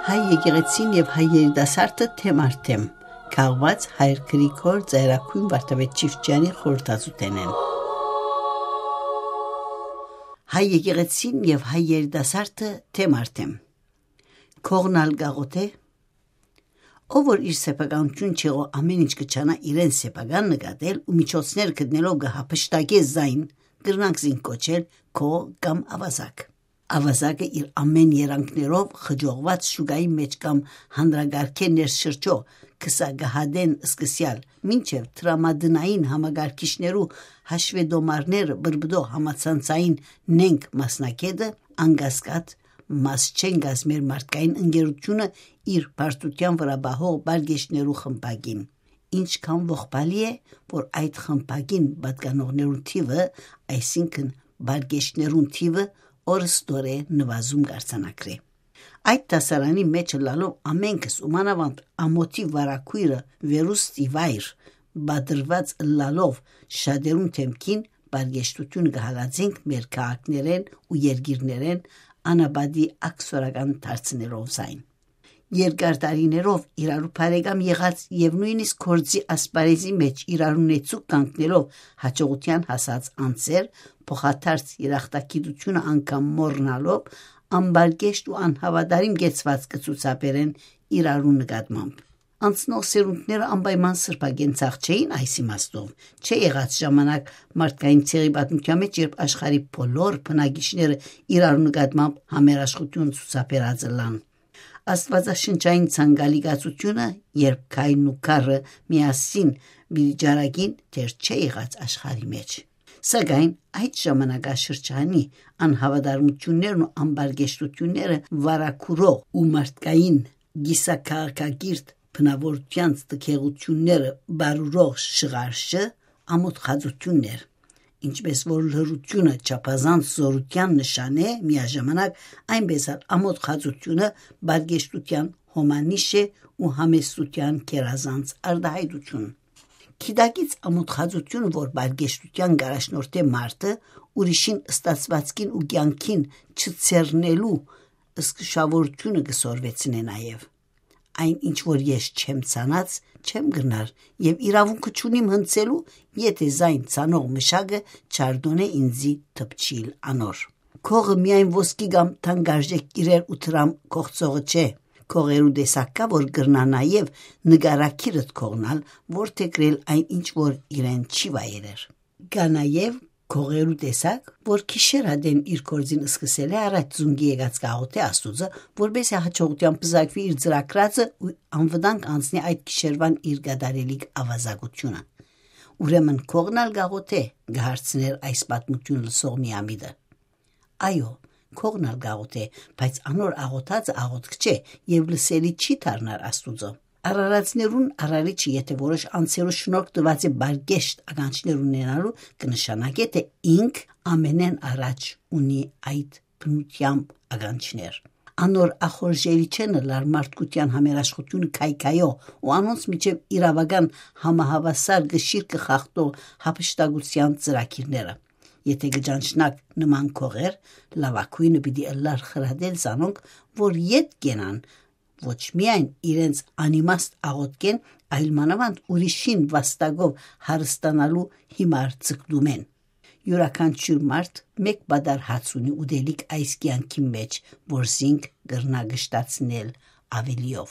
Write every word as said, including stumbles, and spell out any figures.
Հայ եկեղեցին եւ հայ երիտասարդը թեմ առ թեմ, քաղուած Հայր Գրիգոր Ծայրագոյն Վարդապետ Չիֆճեանի խորհրդածութենէն։ Հայ եկեղեցին եւ հայ երիտասարդը թեմ առ թեմ։ Կողնալ գաղութ է, ով որ իր սեփականութիւն չեղո ամեն ինչ կը չանայ իրեն սեփական նկատել ու միջոցներ գտնելով կը հափշտակէ զայն, կրնանք զինք կոչել քո կամ ավազակ։ Ավազակը իր ամեն երանգներով խճողված շուկայի մէջ կամ հանրագարքէ ներշրջող քսակահատէն սկսեալ, մինչեւ տրամատնային համագարկիչներու հաշվետոմարները բրբտող համացանցային նենգ մասնակէտը, անկասկած, մաս չեն կազմեր մարդկային ընկերութիւնը իր պարտութեան վրայ պահող բարգեշներու խմբակին։ Ինչքան ողբալի է, որ այդ խմբակին պատկանողներուն թիւը, այսինքն բարգեշներուն թիւը, օրըստորե նվազում կարձանագրէ։ Այդ դասարանի մէջ ըլլալով ամենքս ու մանաւանդ ամօթի վարագոյրը, վերուստ ի վայր պատրուած ըլլալով, շատերուն դէմքին բարգեշտութիւնը կը հալածենք մեր քաղաքներէն ու երկիրներէն անապատի ակսորական դարձնելով զայն։ Երկար տարիներով իրարու բարեկամ եղած եւ նոյնիսկ գործի ասպարէզի մէջ իրարու նեցուկ կանգնելով հաջողութեան հասած անձեր, փոխադարձ երախտագիտութիւնը անգամ մոռնալով, անբարգեշտ ու անհաւատարիմ կեցուածք կը ցուցաբերեն իրարու նկատմամբ։ Անցնող սերունդները անպայման սրբագենցաղ չէին այս իմաստով։ Չէ եղած ժամանակ մարդկային ցեղի պատմութեան մէջ, երբ աշխարհի բոլոր բնակիչները իրարու նկատմամբ համերաշխութիւն ցուցաբերած ըլլան։ Աստուածաշնչային ցանկալի կացութիւնը, երբ քայլն ու քարը միասին պիտի ջարագին, դեռ չէ եղած աշխարհի մէջ։ Սակայն այդ ժամանակաշրջանի անհաւատարմութիւններն ու անբարգեշտութիւնները վարագուրող ու մարդկային կիսաքաղաքակիրթ բնաւորութեանց տգեղութիւնները բարուրող շղարշը ամոթխածութիւնն էր, ինչպես որ լռութիւնը չափազանց զօրութեան նշան է, միաժամանակ այնպես ալ ամոթխածութիւնը բարգեշտութեան հոմանիշ է ու համեստութեան գերազանց արտայայտութիւն։ Գիտակից ամոթխածութիւնը, որ բարգեշտութեան կ'առաջնորդէ մարդը, ուրիշին ստացուածքին ու կեանքին չցեռնելու զգուշաւորութիւնը կը սորվեցնէ նաեւ։ Այն ինչ որ ես չեմ ցանած, չեմ կրնար եւ իրաւունքը չունիմ հնցելու, եթէ զայն ցանող մշակը չարդոնէ ինծի դպչիլ անոր։ Կողը միայն ոսկի կամ թանկարժեք իրեր ու դրամ կողցողը չէ։ Կողերու տեսակ կայ, որ կրնայ նաեւ նկարագիրդ կողնալ, որդեգրել այն ինչ որ իրեն չի վայելեր։ Կայ նաեւ կողերու տեսակ, որ գիշեր ատեն իր գործին սկսելէ առաջ զունգի եկած կ'աղօթէ Աստուծը, որպէս զի հաջողութեան պզակուի իր ծրագրածը ու անվտանգ անցնի այդ գիշերուան իր կատարելիք աւազակութիւնը։ «Ուրեմն կողն ալ կ'աղօթէ», կը հարցնէր այս պատմութիւն լսող միամիտը։ Այո, կողն ալ կ'աղօթէ, բայց անոր աղօթածը աղօթք չէ եւ լսելի չի դառնար Աստուծոյ։ Արարածներուն Արարիչը եթէ որոշ անձերու շնորհք տուած է բարգեշտ ականջներ ունենալու, կը նշանակէ թէ ինք ամենէն առաջ ունի այդ բնութեամբ ականջներ։ Անոր ախորժելի չեն ըլլար մարդկութեան համերաշխութիւնը քայքայող ու անոնց միջեւ իրաւական համահաւասար կշիռ կը խախտող հափշտակութեան ծրագիրները։ Եթէ կը ճանչնաք նման կողեր, լաւագոյնը պիտի ըլլար խրատել զանոնք, որ ետ կենան, ոչ միայն իրենց անիմաստ աղօթքէն, այլ մանաւանդ ուրիշին վաստակով հարստանալու հիմար ձգտումէն։ Իւրաքանչիւր մարդ մէկ պատառ հաց ունի ուտելիք այս կեանքին մէջ, որ զինք կրնայ կշտացնել աւելիով։